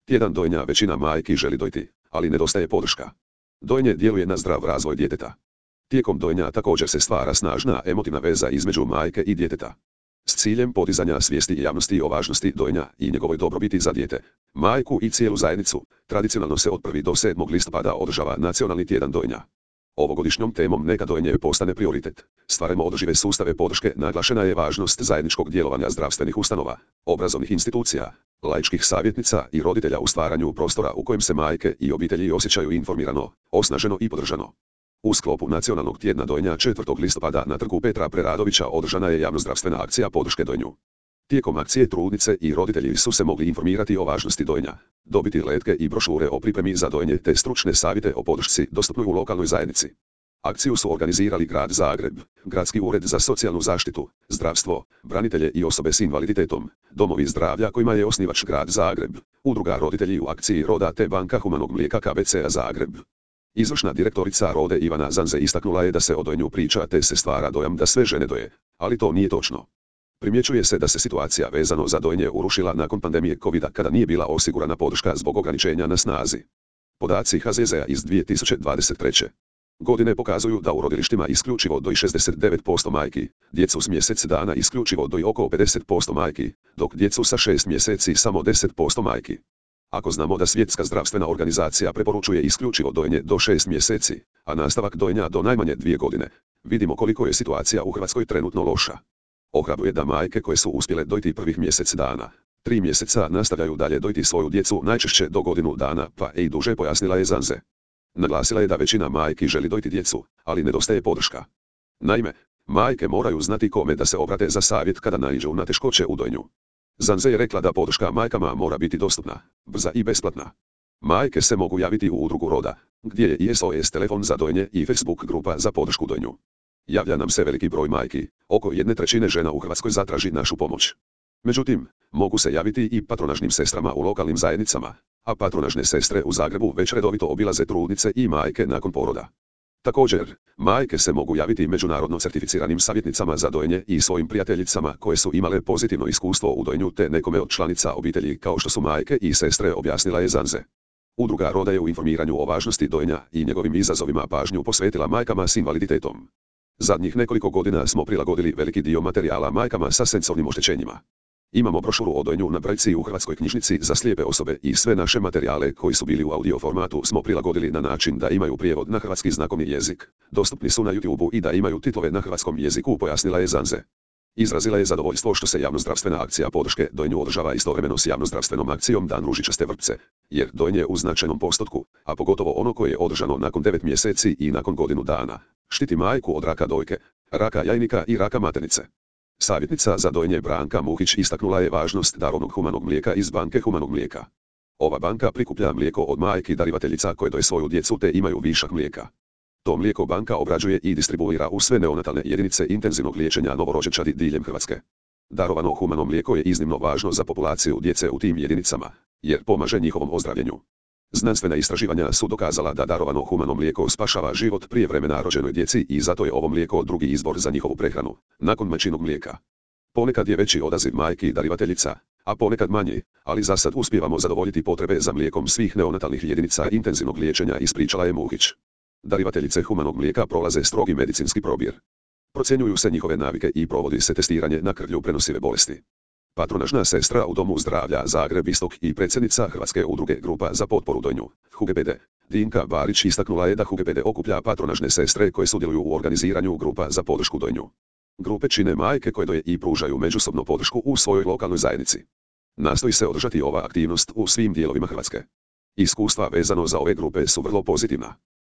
Tjedan dojenja većina majki želi dojiti, ali nedostaje podrška. Dojenje djeluje na zdrav razvoj djeteta. Tijekom dojenja također se stvara snažna emotivna veza između majke i djeteta. S ciljem podizanja svijesti javnosti o važnosti dojenja i njegovoj dobrobiti za dijete, majku i cijelu zajednicu, tradicionalno se od 1. do 7. listopada održava Nacionalni tjedan dojenja. Ovogodišnjom temom neka dojenje postane prioritet. Stvaramo održive sustave podrške, naglašena je važnost zajedničkog djelovanja zdravstvenih ustanova, obrazovnih institucija, laičkih savjetnica i roditelja u stvaranju prostora u kojem se majke i obitelji osjećaju informirano, osnaženo i podržano. U sklopu Nacionalnog tjedna dojenja 4. listopada na trgu Petra Preradovića održana je javnozdravstvena akcija podrške dojenju. Tijekom akcije trudnice i roditelji su se mogli informirati o važnosti dojenja, dobiti letke i brošure o pripremi za dojenje te stručne savjete o podršci dostupnoj u lokalnoj zajednici. Akciju su organizirali Grad Zagreb, Gradski ured za socijalnu zaštitu, zdravstvo, branitelje i osobe s invaliditetom, domovi zdravlja kojima je osnivač Grad Zagreb, Udruga roditelji u akciji Roda te Banka humanog mlijeka KBC-a Zagreb. Izvršna direktorica Rode Ivana Zanze istaknula je da se o dojenju priča te se stvara dojam da sve žene doje, ali to nije točno. Primjećuje se da se situacija vezano za dojenje urušila nakon pandemije COVID-a kada nije bila osigurana podrška zbog ograničenja na snazi. Podaci HZZ-a iz 2023. godine pokazuju da u rodilištima isključivo doji 69% majki, djecu s mjesec dana isključivo doji oko 50% majki, dok djecu sa 6 mjeseci samo 10% majki. Ako znamo da Svjetska zdravstvena organizacija preporučuje isključivo dojenje do 6 mjeseci, a nastavak dojenja do najmanje 2 godine, vidimo koliko je situacija u Hrvatskoj trenutno loša. Ohrabruje da majke koje su uspjele dojiti prvih mjesec dana, 3 mjeseca nastavljaju dalje dojiti svoju djecu najčešće do godinu dana pa i duže, pojasnila je Zanze. Naglasila je da većina majki želi dojiti djecu, ali nedostaje podrška. Naime, majke moraju znati kome da se obrate za savjet kada naiđu na teškoće u dojenju. Zanze je rekla da podrška majkama mora biti dostupna, brza i besplatna. Majke se mogu javiti u udrugu Roda, gdje je i SOS telefon za dojenje i Facebook grupa za podršku dojenju. Javlja nam se veliki broj majki, oko 1/3 žena u Hrvatskoj zatraži našu pomoć. Međutim, mogu se javiti i patronažnim sestrama u lokalnim zajednicama, a patronažne sestre u Zagrebu već redovito obilaze trudnice i majke nakon poroda. Također, majke se mogu javiti međunarodno certificiranim savjetnicama za dojenje i svojim prijateljicama koje su imale pozitivno iskustvo u dojenju te nekome od članica obitelji kao što su majke i sestre, objasnila je Zanze. Udruga Roda je u informiranju o važnosti dojenja i njegovim izazovima pažnju posvetila majkama s invaliditetom. Zadnjih nekoliko godina smo prilagodili veliki dio materijala majkama sa senzornim oštećenjima. Imamo brošuru o dojenju na brojci u Hrvatskoj knjižnici za slijepe osobe i sve naše materijale koji su bili u audio formatu smo prilagodili na način da imaju prijevod na hrvatski znakovni jezik, dostupni su na YouTubeu i da imaju titlove na hrvatskom jeziku, pojasnila je Zanze. Izrazila je zadovoljstvo što se javnozdravstvena akcija podrške dojenju održava istovremeno s javnozdravstvenom akcijom Dan ružičaste vrpce, jer dojenje u značajnom postotku, a pogotovo ono koje je održano nakon 9 mjeseci i nakon godinu dana, štiti majku od raka dojke, raka jajnika i raka maternice. Savjetnica za dojenje Branka Muhić istaknula je važnost darovnog humanog mlijeka iz Banke humanog mlijeka. Ova banka prikuplja mlijeko od majki darivateljica koje doje svoju djecu te imaju višak mlijeka. To mlijeko banka obrađuje i distribuira u sve neonatalne jedinice intenzivnog liječenja novorođenčadi diljem Hrvatske. Darovano humano mlijeko je iznimno važno za populaciju djece u tim jedinicama, jer pomaže njihovom ozdravljenju. Znanstvena istraživanja su dokazala da darovano humano mlijeko spašava život prije vremena rođenoj djeci i zato je ovo mlijeko drugi izbor za njihovu prehranu, nakon majčinog mlijeka. Ponekad je veći odaziv majki darivateljica, a ponekad manji, ali za sad uspijevamo zadovoljiti potrebe za mlijekom svih neonatalnih jedinica intenzivnog liječenja, ispričala je Muhić. Darivateljice humanog mlijeka prolaze strogi medicinski probir. Procjenjuju se njihove navike i provodi se testiranje na krvlju prenosive bolesti. Patronažna sestra u Domu zdravlja Zagreb Istok i predsjednica Hrvatske udruge Grupa za potporu dojenju, HUGPD, Dinka Barić, istaknula je da HUGPD okuplja patronažne sestre koje sudjeluju u organiziranju grupa za podršku dojenju. Grupe čine majke koje doje i pružaju međusobno podršku u svojoj lokalnoj zajednici. Nastoji se održati ova aktivnost u svim dijelovima Hrvatske. Iskustva vezano za ove grupe su vrlo pozitivna.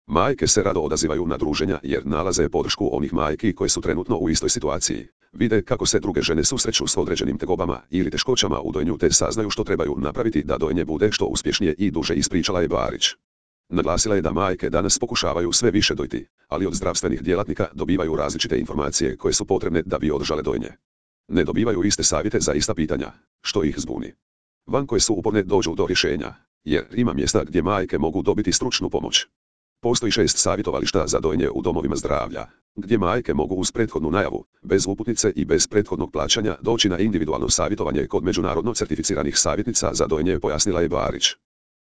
Majke se rado odazivaju na druženja jer nalaze podršku onih majki koje su trenutno u istoj situaciji, vide kako se druge žene susreću s određenim tegobama ili teškoćama u dojenju te saznaju što trebaju napraviti da dojenje bude što uspješnije i duže, ispričala je Barić. Naglasila je da majke danas pokušavaju sve više dojiti, ali od zdravstvenih djelatnika dobivaju različite informacije koje su potrebne da bi održale dojenje. Ne dobivaju iste savjete za ista pitanja, što ih zbuni. Van koje su uporne dođu do rješenja, jer ima mjesta gdje majke mogu dobiti stručnu pomoć. Postoji 6 savjetovališta za dojenje u domovima zdravlja, gdje majke mogu uz prethodnu najavu, bez uputnice i bez prethodnog plaćanja doći na individualno savjetovanje kod međunarodno certificiranih savjetnica za dojenje, pojasnila je Barić.